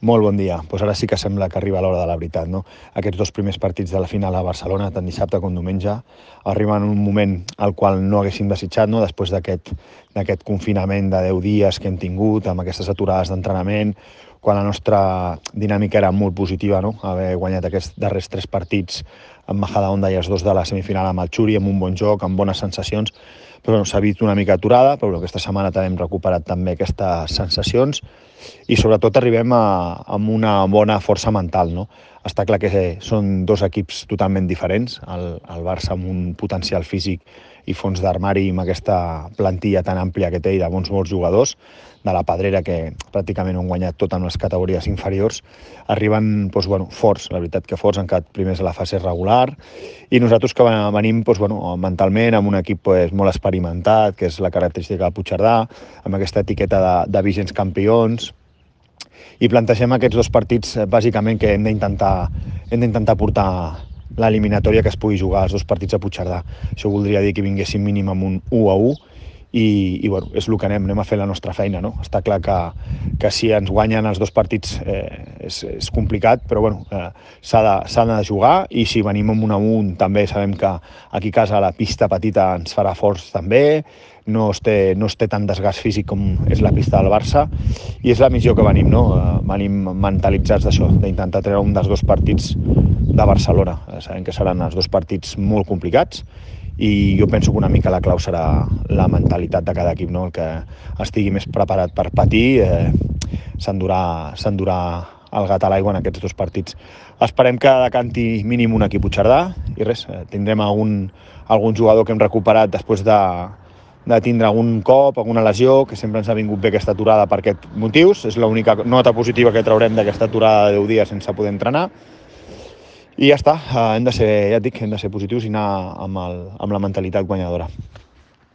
Molt bon dia. Doncs ara sí que sembla que arriba l'hora de la veritat, no? Aquests dos primers partits de la final a Barcelona, tant dissabte com diumenge, arriben en un moment al qual no haguéssim desitjat, no? Després d'aquest confinament de 10 dies que hem tingut, amb aquestes aturades d'entrenament, quan la nostra dinàmica era molt positiva, no? Haver guanyat aquests darrers 3 partits amb Majadahonda i els 2 de la semifinal amb el Xuri, amb un bon joc, amb bones sensacions, però bueno, s'ha vist una mica aturada, però aquesta setmana també hem recuperat també aquestes sensacions i sobretot arribem amb una bona força mental, no? Està clar que són dos equips totalment diferents, el Barça amb un potencial físic i fons d'armari amb aquesta plantilla tan àmplia que té i de bons jugadors, de la Pedrera, que pràcticament han guanyat tot en les categories inferiors, arriben forts, la veritat que forts, han quedat primers a la fase regular, i nosaltres que venim mentalment amb un equip molt experimentat, que és la característica del Puigcerdà, amb aquesta etiqueta de vigents campions, i plantegem aquests dos partits bàsicament que hem d'intentar portar l'eliminatòria que es pugui jugar als dos partits a Puigcerdà. Això voldria dir que vinguéssim mínim amb un 1-1 i bueno, és el que anem a fer la nostra feina, no? Està clar que si ens guanyen els dos partits és complicat, però bueno, s'ha de jugar, i si venim amb un 1-1 també sabem que aquí a casa la pista petita ens farà forts també, no es té tant desgast físic com és la pista del Barça, i és la missió que venim, no? Venim mentalitzats d'això, d'intentar treure un dels dos partits de Barcelona. Sabem que seran els dos partits molt complicats, i jo penso que una mica la clau serà la mentalitat de cada equip, no? El que estigui més preparat per patir s'endurà el gat a l'aigua en aquests dos partits. Esperem que decanti mínim un equip Puigcerdà, i res, tindrem algun jugador que hem recuperat després de tindre algun cop, alguna lesió, que sempre ens ha vingut bé aquesta aturada per aquests motius. És l'única nota positiva que traurem d'aquesta aturada de 10 dies sense poder entrenar. I ja està, hem de ser positius i anar amb la mentalitat guanyadora.